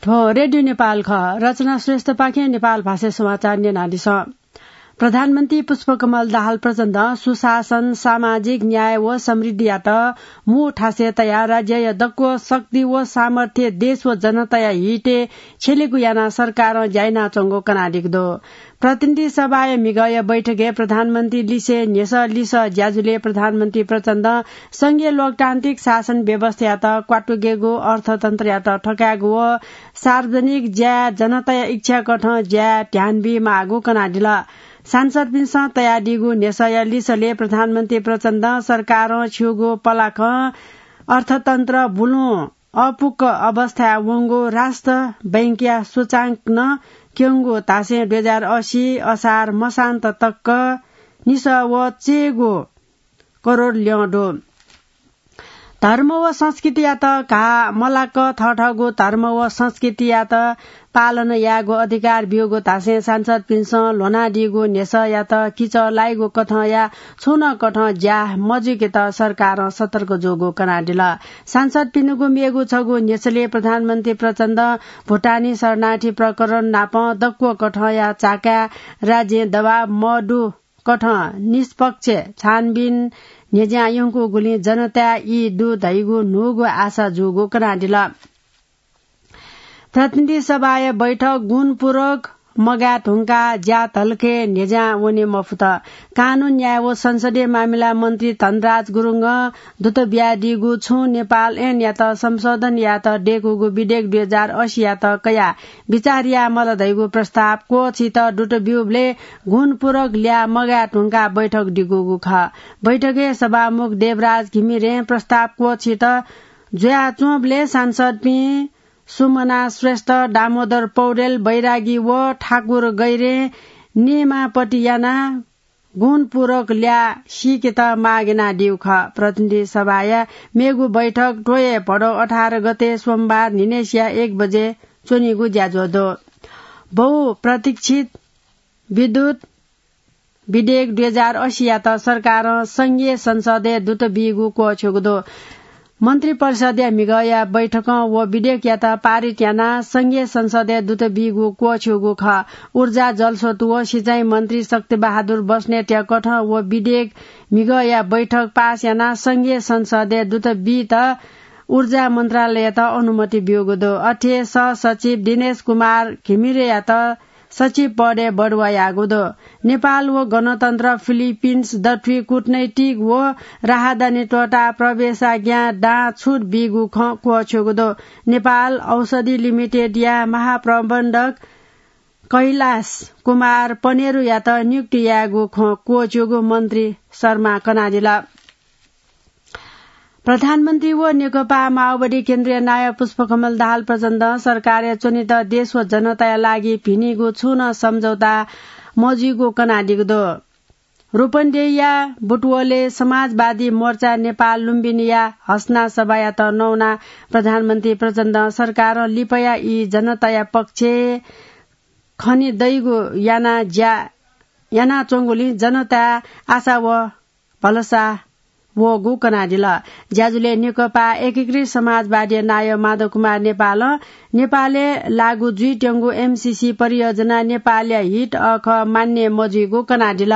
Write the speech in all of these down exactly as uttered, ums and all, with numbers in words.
थ्व रेडियो नेपाल खः। रचना श्रेष्ठपाखें नेपाल भाषा समाचार न्यनादिसँ। प्रधानमन्त्री पुष्पकमल दाहाल प्रचण्डं सुशासन, सामाजिक न्याय व समृद्धियात मू थासय् तयाः राज्यया दक्व शक्ति व सामर्थ्य देश व जनताया हितय् छ्यलेगु यानाः सरकारं ज्या यानाच्वंगु कनादीगु दु। प्रतिनिधि सभाया म्हिगःया बैठकय् प्रधानमन्त्री लिसे न्ह्यसः लिसः ज्याझ्वलय् प्रधानमन्त्री प्रचण्डं संघीय लोकतान्त्रिक शासन व्यवस्थायात क्वातुकेगु, अर्थतन्त्रयात थकायेगु व सार्वजनिक ज्याय् जनताया इच्छाकथं ज्याय् ध्यान बीमाःगु कनादिल। सांसदपिन्सं तयादीगु न्ह्यसःया लिसलय् प्रधानमन्त्री प्रचण्डं सरकारं छिउगु पलाखं अर्थतन्त्र बुलुं अपुक्क अवस्थाय् वंगु राष्ट्र बैंकया सूचांक नं क्यंगु धासें दुई हजार असी असार मसान्त तक निसः व चय्गू करोड ल्यं दु। धर्म व संस्कृतियात घाः मलाक थःथःगु धर्म व संस्कृतियात पालन यायेगु अधिकार ब्यूगु धासें सांसदपिन्सं ल्ह्वनादीगु न्ह्यसःयात किचः लाइगु कथंया छुं नं कथं ज्या मजुइकेत सरकारं सतर्क जूगु कनादिल। सांसदपिनिगु मेगु छगू न्ह्यसलय् प्रधानमन्त्री प्रचण्डं भुटानी शरणार्थी प्रकरण नापं दक्व कथंया चाकाय् राज्यं दबाव मदु कथं निष्पक्ष छानबिन न्ह्यज्यां यंकूगुलिं जनताय् ई दु धइगु न्हूगु आशा जूगु कनादिल। प्रतिनिधि सभाया बैठक गुणपूरक मगाये धुंकाः ज्या धलखय् न्ह्यज्यां वने मफुत। कानून, न्याय व संसदीय मामिला मन्त्री धनराज गुरुङं दुत बियादीगु छुं नेपाल ऐनयात संशोधन यायेत दय्कूगु विधेयक दुई हजार असी यात कयाः बिचाः याये मल धइगु प्रस्ताव क्वःछित दुत ब्यूबलय् गुणपूरक ल्याः मगाये धुंकाः बैठक दिकूगु खः। बैठकय् सभामुख देवराज घिमिरें प्रस्ताव क्वःछित जुयाच्वंबलय् सांसदपिं सुमना श्रेष्ठ, दामोदर पौडेल, बैरागी व ठाकुर गैरें नियमापति यानाः गुणपूरक ल्याः सीकेत माग यानादीगु खः। प्रतिनिधि सभाया मेगु बैठक त्वःया भदौ अठार गते सोमबार न्हिनय्सिया एक बजे च्वनीगु ज्याझ्वः दु। बहुप्रतीक्षित विद्युत विधेयक दुई हजार असी यात सरकारं संघीय संसदय् दुत बीगु क्वःछ्यूगु दु। मन्त्रिपरिषदया म्हिगःया बैठकं व विधेयकयात पारित यानाः संघीय संसदय् दुत बीगु क्वःछ्यूगु खः। ऊर्जा, जलस्रोत व सिँचाइ मन्त्री शक्तिबहादुर बस्नेतया कथं व विधेयक म्हिगःया बैठक पास यानाः संघीय संसदय् दुत बीत ऊर्जा मन्त्रालययात अनुमति ब्यूगु दु। अथे सहसचिव दिनेश कुमार घिमिरेयात सचिव पदय् बढुवा याःगु दु। नेपाल व गणतन्त्र फिलिपिन्स दथुइ कूटनैतिक व राहदानी त्वःताः प्रवेशाज्ञा दां छुट बीगु खँ क्वःछ्यूगु दु। नेपाल औषधि लिमिटेडया महाप्रबन्धक कैलाश कुमार पनेरुयात नियुक्ति यायेगु खँ क्वःछ्यूगु मन्त्री शर्मा कनादिल। प्रधानमन्त्री व नेकपा माओवादी केन्द्रीय नायः पुष्पकमल दाहाल प्रचण्डं सरकारय् च्वनेत देश व जनताया लागि भिनीगु छुं नं सम्झौता मजुइगु कनादीगु दु। रूपन्देहीया बुटवलय् समाजवादी मोर्चा नेपाल लुम्बिनीया हसना सभायात नवानाः प्रधानमन्त्री प्रचण्डं सरकारं लिपाया ई जनताया पक्षय् खने दइगु याना ज्या यानाच्वंगुलिं जनताय् आशा व भलसा वःगु कनादिल। ज्याझ्वलय् नेकपा एकीकृत समाजवादीया नायः माधव कुमार नेपालं नेपालय् लागू जुइत्यंगु एमसीसी परियोजना नेपालया हित अःखः मान्य मजुइगु कनादिल।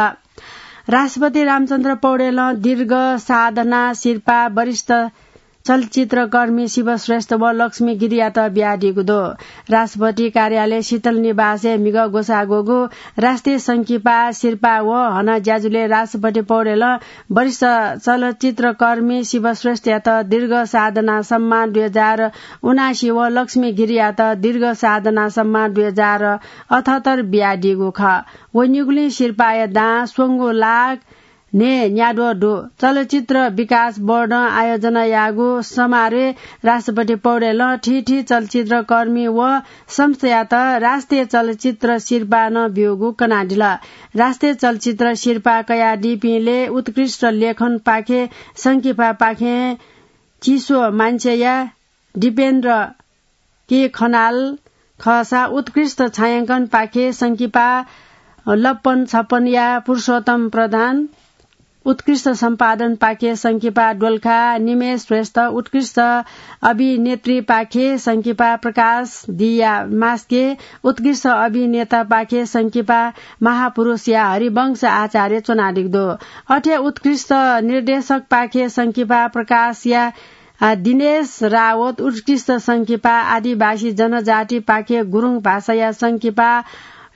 राष्ट्रपति रामचन्द्र पौडेलं दीर्घ साधना सिरपाः वरिष्ठ चलचित्रकर्मी शिव श्रेष्ठ व लक्ष्मी गिरीयात बियादीगु दु। राष्ट्रपति कार्यालय शीतल निवासय् म्हिगः ग्वसाः ग्वःगु राष्ट्रिय संकिपा सिरपाः व हना ज्याझ्वलय् राष्ट्रपति पौडेलं वरिष्ठ चलचित्रकर्मी शिव श्रेष्ठयात दीर्घ साधना सम्मान दुई हजार उनासी व लक्ष्मी गिरीयात दीर्घ साधना सम्मान दुई हजार अठहत्तर बियादीगु खः। वनीगुलिं सिरपाःया दां स्वंगू लाख न्हय् न्याद्वः दु। चलचित्र विकास बोर्डं आयोजना याःगु समारोहय् राष्ट्रपति पौडेलं थीथी चलचित्रकर्मी व संस्थायात राष्ट्रिय चलचित्र सिरपाः नं ब्यूगु कनादिल। राष्ट्रिय चलचित्र सिरपाः कयादीपिंलय् उत्कृष्ट लेखनपाखें संकिपापाखें चिसो मान्छेया दिपेन्द्र के खनाल खःसा उत्कृष्ट छायाङ्कनपाखें संकिपा लप्पन छप्पनया पुरुषोत्तम प्रधान, उत्कृष्ट सम्पादन पाखे संकिपा डोल्खा निमेश श्रेष्ठ, उत्कृष्ट अभिनेत्री पाखे संकिपा प्रकाश दिया मास्के, उत्कृष्ट अभिनेता पाखे संकिपा महापुरुषया हरिवंश आचार्य च्वनादिगु दु। अथे उत्कृष्ट निर्देशक पाखे संकिपा प्रकाशया आ, दिनेश रावत उत्कृष्ट संकिपा आदिवासी जनजाति पाखे गुरुङ भाषाया संकिपा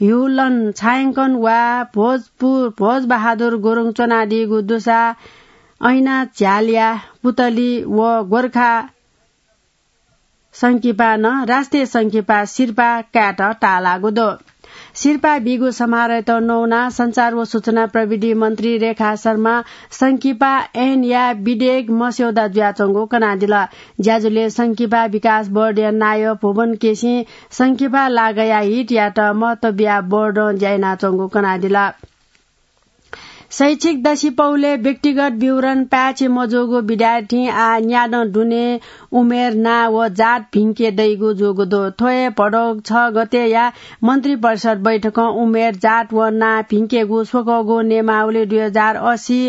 ह्युलन छायाङ्कन वा भोजपुर भोजबहादुर गुरुङ च्वनादीगु दुसा ऐना झ्यालया पुतली व गोर्खा संकिपा नं राष्ट्रिय संकिपा सिरपा कायेत ताःलाःगु दु। सिरपा बीगु समारोहयात नवानाः सञ्चार व सूचना प्रविधि मन्त्री रेखा शर्मा संकिपा ऐनया विधेयक मस्यौदा जुयाच्वंगु कनादिल। ज्याझ्वलय् संकिपा विकास बोर्डया नायः भुवन केसीं संकिपा लागःया हितयात महत्व बियाः बोर्डं ज्या यानाच्वंगु कनादिल। शैक्षिक दसिपौलय् व्यक्तिगत विवरण पाय्छि मजूगु विद्यार्थीं आः न्यादँ दुने उमेर, नां व जात भिंके दइगु जूगु दु। थ्व हे भदौ छ गतेया मन्त्रिपरिषद बैठकं उमेर, जात व नां भिंकेगु स्वकःगु नियमावली दुई हजार अस्सी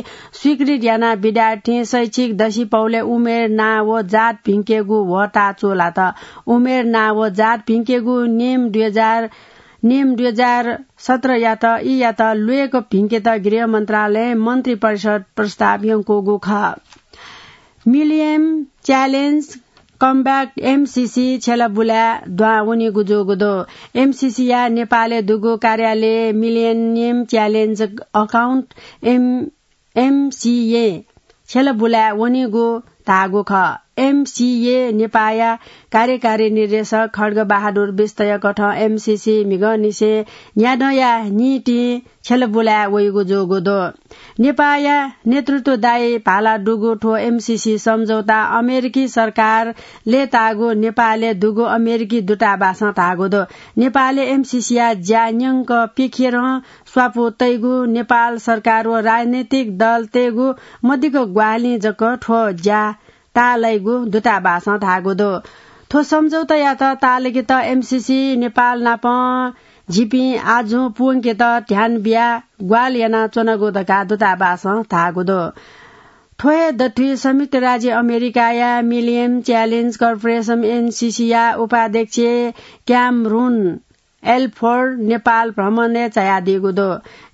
स्वीकृत यानाः विद्यार्थीं शैक्षिक दसिपौलय् उमेर, नां व जात भिंकेगु ह्वःताः चूलात। उमेर, नां व जात भिंकेगु नियम दुई हजार नियम दुई हजार सत्रयात, ईयात ल्वय्क भिंकेत गृह मन्त्रालयं मन्त्रिपरिषद प्रस्ताव यंकूगु खः। Millennium Challenge Comeback, एमसीसी, छ्यला बुलाय् दुहां वनीगु जूगु दु। एमसीसीया नेपालय् दुगु कार्यालयं Millennium Challenge Account, M MCA छ्यला बुलाय् वनीगु धाःगु खः। एमसीए नेपाःया कार्यकारी निर्देशक खड्ग बहादुर बिष्टया कथं एमसीसी म्हिगंनिसें न्यादँया निंतिं छ्यला बुलाय् वइगु जूगु दु। नेपाःया नेतृत्वदायी भाला दुगु थ्व एमसीसी सम्झौता अमेरिकी सरकार लय्ताःगु नेपालय् दुगु अमेरिकी दूतावासं धाःगु दु। नेपालय् एमसीसीया ज्या न्यंक पिखेरं स्वापू तइगु नेपाल सरकार व राजनैतिक दलतय्गु मदिक्क ग्वाहालिं जक थ्व ज्या ताःलाइगु दूतावासं धाःगु दु। थ्व सम्झौतायात ताःलाकेत एमसीसी नेपाल नाप झीपिं आजुं पूवंकेत ध्यान बियाः ग्वाहालि यानाच्वनागु धकाः दूतावासं धाःगु दु। थ्व हे दथुइ संयुक्त राज्य अमेरिकाया मिलियम च्यालेन्ज कर्पोरेसन, एमसीसीया उपाध्यक्ष क्यामरुन एल्फोर्ड नेपाल भ्रमणय् झायादीगु दु।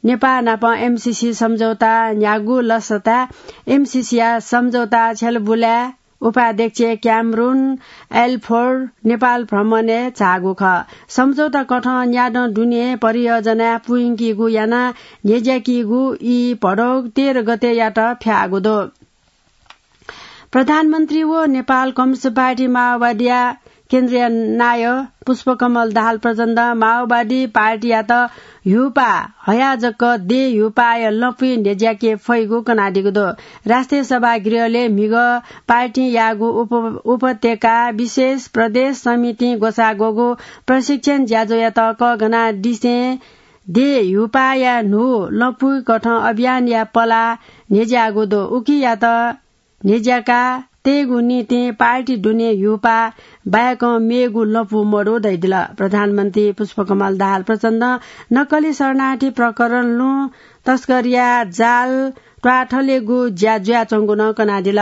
नेपाः नाप एमसीसी सम्झौता न्ह्यागु लसताय् एमसीसीया सम्झौता छ्यलाबुलाय् उपाध्यक्ष क्यामरुन एल्फोर्ड नेपाल भ्रमणय् झाःगु खः। सम्झौता कथं न्यादँ दुने परियोजनाय् पुइंकीगु यानाः न्ह्यज्याकीगु ई भदौ तेह्र गतेयात फ्याःगु दु। प्रधानमन्त्री व नेपाल कम्युनिस्ट पार्टी माओवादीया केन्द्रीय नायः पुष्पकमल दाहाल प्रचण्डं माओवादी पार्टीयात ह्यूपाः हयाः जक देय् ह्यूपाःया लँपुइ न्ह्यज्याके फइगु कनादीगु दु। राष्ट्रिय सभागृहलय् म्हिगः पार्टीं याःगु उप-, उपत्यका विशेष प्रदेश समितिं ग्वसाः ग्वःगु प्रशिक्षण ज्याझ्वःयात कःघानादिसें देय् ह्यूपाःया न्हू लँपुइ कथं अभियानया पलाः न्ह्यज्याःगु दु। उकियात न्ह्यज्याका तयेगु निंतिं पार्टी दुने ह्यूपाः बाहेकं मेगु लँपु मदु धयादिल। प्रधानमन्त्री पुष्पकमल दाहाल प्रचण्डं नक्कली शरणार्थी प्रकरण, लुँ तस्करीया जाल त्वाथलेगु ज्या जुयाच्वंगु नं कनादिल।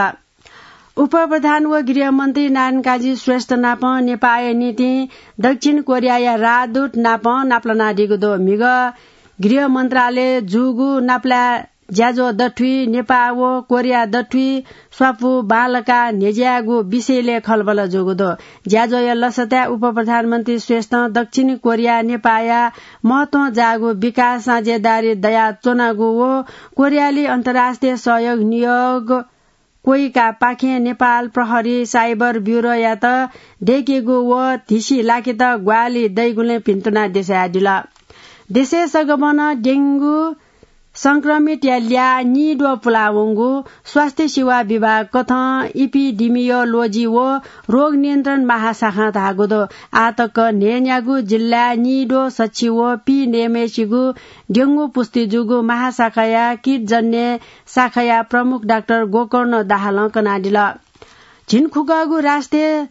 उपप्रधान व गृहमन्त्री नारायणकाजी श्रेष्ठ नाप नेपाःया निंतिं दक्षिण कोरियाया राजदूत नाप नापलानादीगु दु। म्हिगः गृह मन्त्रालय जूगु नापलाये ज्याझ्वः दथुइ नेपाः व कोरिया दथुइ स्वापू बांलाकाः न्ह्यज्यायेगु विषयलय् खँल्हाबल्हा जूगु दु। ज्याझ्वःया लसताय् उपप्रधानमन्त्री श्रेष्ठं दक्षिण कोरिया नेपाःया महत्वं जाःगु विकास साझेदारी दयाच्वनागु व कोरियाली अन्तर्राष्ट्रिय सहयोग नियोग क्वय्कापाखें नेपाल प्रहरी साइबर ब्युरोयात दय्केगु व धिसि लाकेत ग्वाहालि दइगुलिं भिन्तुना देछायादिल। देशय् सगबनं डेंगु संक्रमितया ल्याः निद्वः पुलावंगु स्वास्थ्य सेवा विभाग कथं इपिडिमियोलोजी व रोग नियन्त्रण महाशाखां धाःगु दु। आः तक न्हय्न्यागू जिल्लाय् निद्वः सछि व पीन्यम्हेसिगु डेंगु पुष्टि जूगु महाशाखाया कीटजन्य शाखाया प्रमुख डाक्टर गोकर्ण दाहालं कनादिल। झिंखुगःगु राष्ट्रिय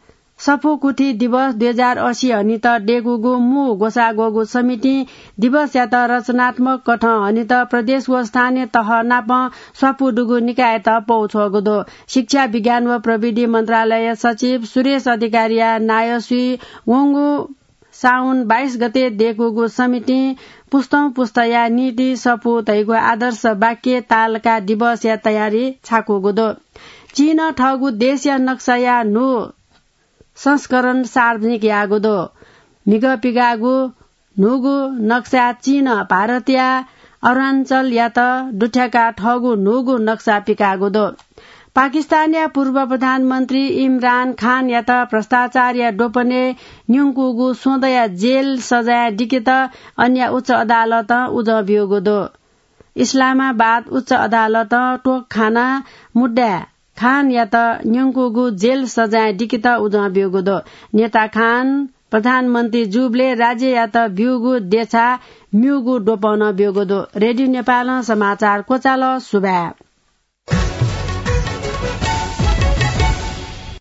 सफू कुथी दिवस दुई हजार असी हनित देकूगु मू ग्वसाः ग्वःगु समितिं दिवसयात रचनात्मक कथं हनित प्रदेश व स्थानीय तह नाप स्वापू दुगु निकायत पौ छ्वःगु दु। शिक्षा, विज्ञान व प्रविधि मन्त्रालय सचिव सुरेश अधिकारीया नायःसुइ वंगु साउन बाइस गते देकूगु समितिं पुस्तौं पुस्ताया नीति सफू धइगु आदर्श वाक्य तालका दिवसया तयारी छाकूगु दु। चीनं थःगु देशया नक्साया न्हू संस्करण सार्वजनिक याःगु दु। म्हिगः पिकाःगु न्हूगु नक्सा चीनं भारतया अरुणाञ्चलयात दुथ्याकाः थःगु न्हूगु नक्सा पिकाःगु दु। पाकिस्तानया पूर्व प्रधानमन्त्री इमरान खानयात भ्रष्टाचारया द्वपनय् न्यंकूगु स्वदँया जेल सजाय दिकेत अन्य उच्च अदालतं उजं ब्यूगु दु। इस्लामाबाद उच्च अदालतं तोकखाना मुद्दाय् खानयात न्यंकूगु जेल सजाय दिकेत उजं ब्यूगु दु। नेता खान प्रधानमन्त्री जूबलय् राज्ययात ब्यूगु देछाय् म्यूगु द्वपनं ब्यूगु दु। रेडियो नेपालं समाचार क्वचाल। सुभाय्।